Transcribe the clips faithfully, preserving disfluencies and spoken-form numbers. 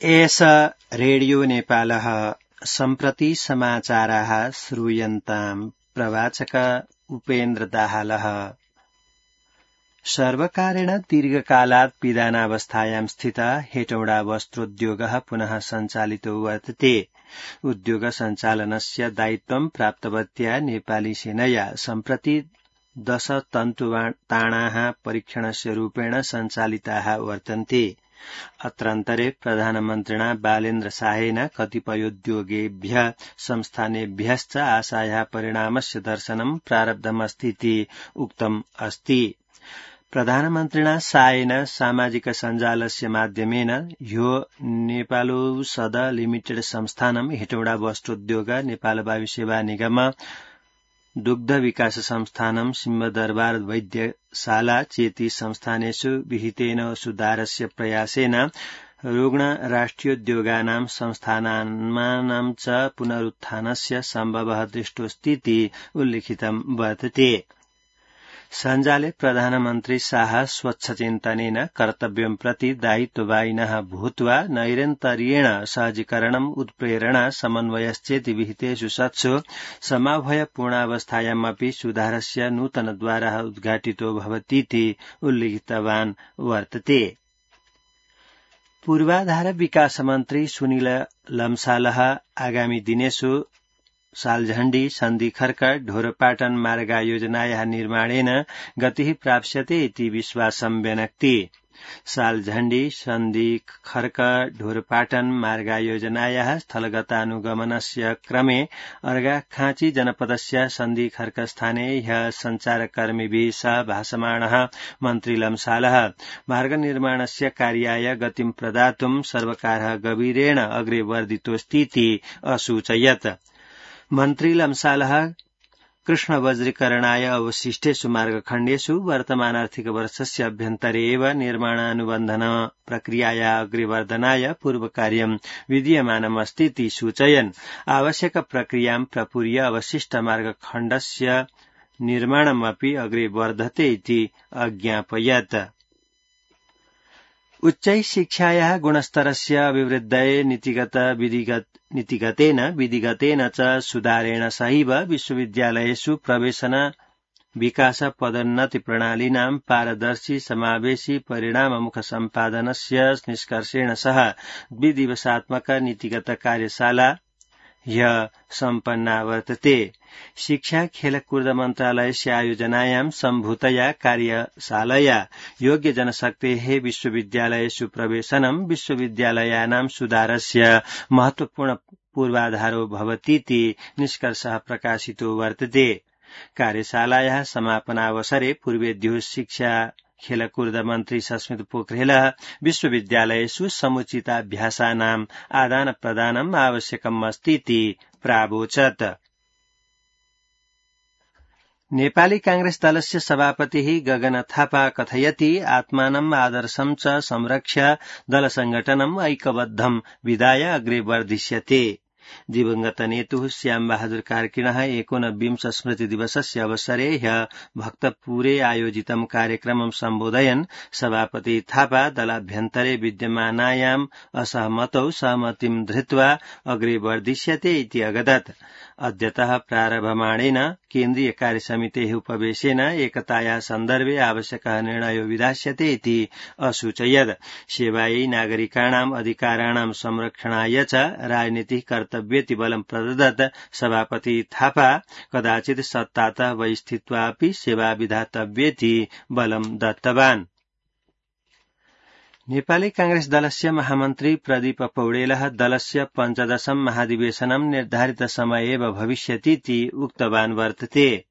एष रेडियो नेपालः सम्प्रति समाचाराः श्रूयन्ताम् प्रवाचक उपेन्द्र दाहालः। सर्वकारेण दीर्घकालात् पिधानावस्थायां स्थितः हेटौडा वस्त्रोद्योगः पुनः सञ्चालितो वर्तते। उद्योग सञ्चालनस्य दायित्वं प्राप्तवत्या नेपाली सेनया सम्प्रति दश तन्तुताणाः परीक्षणस्य रूपेण सञ्चालिताः वर्तन्ते। अत्रान्तरे प्रधानमन्त्रिणा बालेन्द्र शाहेन कतिपयोद्योगेभ्यः संस्थानेभ्यश्च आशायाः परिणामस्य दर्शनं प्रारब्धमस्तीति उक्तम् अस्ति। प्रधानमन्त्रिणा शाहेन सामाजिक सञ्जालस्य माध्यमेन ह्यो नेपालौषध लिमिटेड संस्थानं हेटौडा वस्त्रोद्योग नेपाल वायु सेवा निगम दुग्ध विकास संस्थानं सिंहदरबार वैद्यशाला चेति संस्थानेषु विहितेन सुधारस्य प्रयासेन रुग्ण राष्ट्रियोद्योगानां संस्थानानां च पुनरुत्थानस्य सम्भवः दृष्टोऽस्तीति उल्लिखितं वर्तते। सञ्जाले प्रधानमन्त्री शाह स्वच्छचिन्तनेन कर्तव्यं प्रति दायित्ववाहिनः भूत्वा नैरन्तर्येण सहजीकरणम् उत्प्रेरणा समन्वयश्चेति विहितेषु सत्सु समवायपूर्णावस्थायामपि सुधारस्य नूतनद्वारः उद्घाटितो भवतीति उल्लिखितवान् वर्तते। पूर्वाधार विकास मन्त्री सुनिल लम्सालः आगामी दिनेषु सालझण्डी सन्धि खर्क ढोरपाटन मार्गयोजनायाः निर्माणेन गतिः प्राप्स्यते इति विश्वासं व्यनक्ति। सालझण्डी सन्धि खर्क ढोरपाटन मार्गयोजनायाः स्थलगतानुगमनस्य क्रमे अर्घाखाँची जनपदस्य सन्धि खर्क स्थाने ह्यः सञ्चारकर्मिभिः सह भाषमाणः मन्त्री लम्सालः मार्गनिर्माणस्य कार्याय गतिं प्रदातुं सर्वकारः गभीरेण अग्रे वर्धितोऽस्तीति असूचयत्। मन्त्री लम्सालः कृष्णवज्रीकरणाय अवशिष्टेषु मार्गखण्डेषु वर्तमान आर्थिक वर्षस्य अभ्यन्तरे एव निर्माणानुबन्धन प्रक्रियाया अग्रेवर्धनाय पूर्वकार्यं विधीयमानमस्तीति सूचयन् आवश्यक प्रक्रियां प्रपूर्य अवशिष्ट मार्गखण्डस्य निर्माणमपि अग्रे वर्धते इति अज्ञापयत्। उच्चै शिक्षायाः गुणस्तरस्य अभिवृद्धये नीतिगत विधिगत नीतिगतेन विधिगतेन च सुधारेण सहैव विश्वविद्यालयेषु प्रवेशन विकास पदोन्नति प्रणालीनां पारदर्शी समावेशी परिणाममुख सम्पादनस्य निष्कर्षेण सह द्विदिवसात्मक नीतिगत कार्यशाला ह्यः सम्पन्ना वर्तते। शिक्षा खेलकूद मन्त्रालयस्य आयोजनायां सम्भूतया कार्यशालया योग्य जनशक्तेः विश्वविद्यालयेषु प्रवेशनं विश्वविद्यालयानां सुधारस्य महत्वपूर्ण पूर्वाधारो भवतीति निष्कर्षः प्रकाशितो वर्तते। कार्यशालायाः समापनावसरे पूर्वेद्युः शिक्षा खेलकूद मन्त्री सस्मित पोखरेलः विश्वविद्यालयेषु समुचिताभ्यासानाम् आदान प्रदानम् आवश्यकम् अस्तीति प्रावोचत्। नेपाली कांग्रेस दलस्य सभापतिः गगन थापा कथयति आत्मानम् आदर्शं च संरक्ष्य दलसंघटनम् ऐक्यबद्धं विधाय अग्रे वर्धिष्यते। दिवंगत नेतुः श्याम बहादुर कार्किणः एकोनविंश स्मृति दिवसस्य अवसरे ह्यः भक्तपुरे आयोजितं कार्यक्रमं सम्बोधयन् सभापति थापा दलाभ्यन्तरे विद्यमानायाम् असहमतौ सहमतिं धृत्वा अग्रे वर्धिष्यते इति अगदत्। अद्यतः प्रारभमाणेन केन्द्रीय कार्यसमितेः उपवेशेन एकतायाः सन्दर्भे आवश्यकः निर्णयो विधास्यते इति असूचयत्। सेवायै नागरिकाणाम् अधिकाराणां संरक्षणाय च राजनीतिः कर्तव्येति बलं प्रददत् सभापति थापा कदाचित् सत्तातः बहिः स्थित्वापि सेवा विधातव्येति बलं दत्तवान्। नेपाली कांग्रेस दलस्य महामन्त्री प्रदीप पौडेलः दलस्य पञ्चदशं महाधिवेशनं निर्धारित समये एव भविष्यतीति उक्तवान् वर्तते।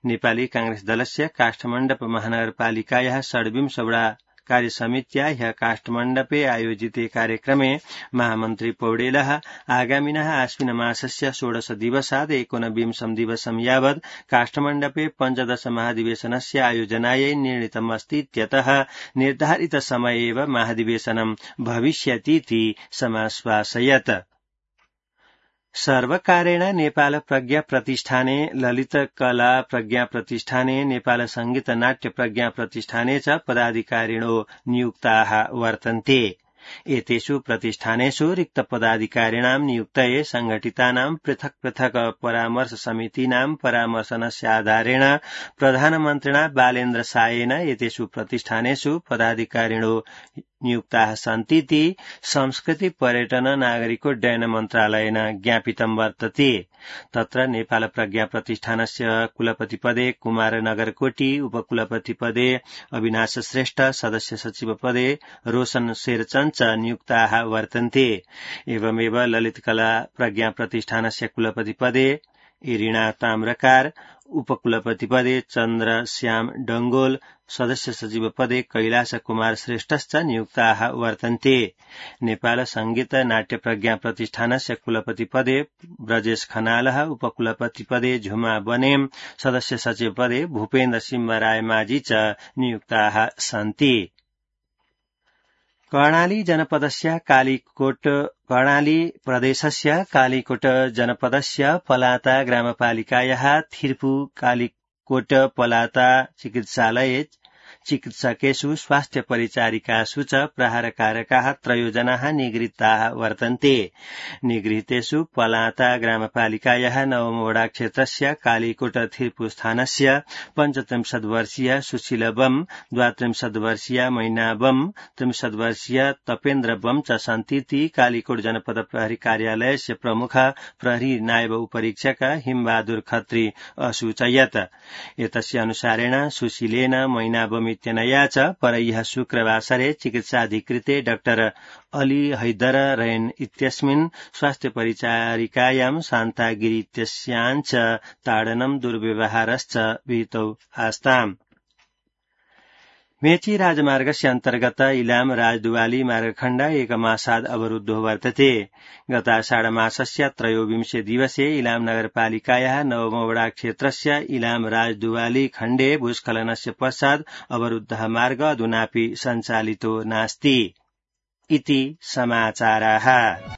नेपाली कांग्रेस दलस्य काष्ठमण्डप महानगरपालिकायाः षड्विंशवटा कार्यसमित्या ह्यः काष्ठमण्डपे आयोजिते कार्यक्रमे महामन्त्री पौडेलः आगामिनः आश्विन मासस्य षोडश दिवसात् एकोनविंशं दिवसं यावत् काष्ठमण्डपे पञ्चदश महाधिवेशनस्य आयोजनायै निर्णीतम् अस्तीत्यतः निर्धारित समये एव महाधिवेशनं भविष्यतीति समाश्वासयत्। सर्वकारेण नेपाल प्रज्ञा प्रतिष्ठाने ललित कला प्रज्ञा प्रतिष्ठाने नेपाल संगीत नाट्य प्रज्ञा प्रतिष्ठाने च पदाधिकारिणो नियुक्ताः वर्तन्ते। एतेषु प्रतिष्ठानेषु रिक्त पदाधिकारिणां नियुक्तये संघटितानां पृथक् पृथक् परामर्श समितीनां परामर्शनस्य आधारेण प्रधानमन्त्रिणा बालेन्द्र सायेन एतेषु प्रतिष्ठानेषु पदाधिकारिणो नियुक्ताः सन्तीति संस्कृति पर्यटन नागरिकोड्डयन मन्त्रालयेन ज्ञापितं वर्तते। तत्र नेपाल प्रज्ञा प्रतिष्ठानस्य कुलपतिपदे कुमार नगरकोटी, उपकुलपतिपदे अविनाश श्रेष्ठ, सदस्य सचिव पदे रोशन शेरचन च नियुक्ताः वर्तन्ते। एवमेव ललित कला प्रज्ञा प्रतिष्ठानस्य कुलपतिपदे इरिणा ताम्रकार, उपकुलपतिपदे चन्द्र श्याम डंगोल, सदस्य सचिव पदे कैलाश कुमार श्रेष्ठश्च नियुक्ताः वर्तन्ते। नेपाल संगीत नाट्य प्रज्ञा प्रतिष्ठानस्य कुलपतिपदे ब्रजेश खनालः, उपकुलपतिपदे झुमा बनेम, सदस्य सचिव पदे भूपेन्द्र सिंह राय माझी च नियुक्ताः सन्ति। कर्णाली जनपदस्य कालीकोट कर्णाली प्रदेशस्य कालीकोट जनपदस्य पलाता ग्रामपालिकायाः थिर्पु कालीकोट पलाता चिकित्सालये चिकित्सकेषु स्वास्थ्य परिचारिकासु च प्रहारकारकाः त्रयोजनाः निगृहीताः वर्तन्ते। निगृहीतेषु पलाता ग्रामपालिकायाः नवमवडा क्षेत्रस्य कालीकोट थिर्पु स्थानस्य पञ्चत्रिंशत् वर्षीय सुशील बम, द्वात्रिंशत् वर्षीय मैना बम, त्रिंशत् वर्षीय तपेन्द्र बम च सन्तीति कालीकोट जनपद प्रहरी कार्यालयस्य प्रमुख प्रहरी नायब उपरीक्षक हिमबहादुर खत्री असूचयत्। एतस्य अनुसारेण सुशीलेन मैना बम इत्यनया च परह्यः शुक्रवासरे चिकित्साधिकृते डाक्टर अली हैदर रैन इत्यस्मिन् स्वास्थ्य परिचारिकायां शान्तागिरि इत्यस्यां च ताडनं दुर्व्यवहारश्च विहितौ आस्ताम्। मेची राजमार्गस्य अन्तर्गत इलाम राजदुवाली मार्गखण्ड एकमासात् अवरुद्धो वर्तते। गत आषाढमासस्य त्रयोविंशे दिवसे इलाम नगरपालिकायाः नवमवडा क्षेत्रस्य इलाम राजदुवाली खण्डे भूस्खलनस्य पश्चात् अवरुद्धः मार्ग अधुनापि सञ्चालितो नास्ति इति समाचाराः।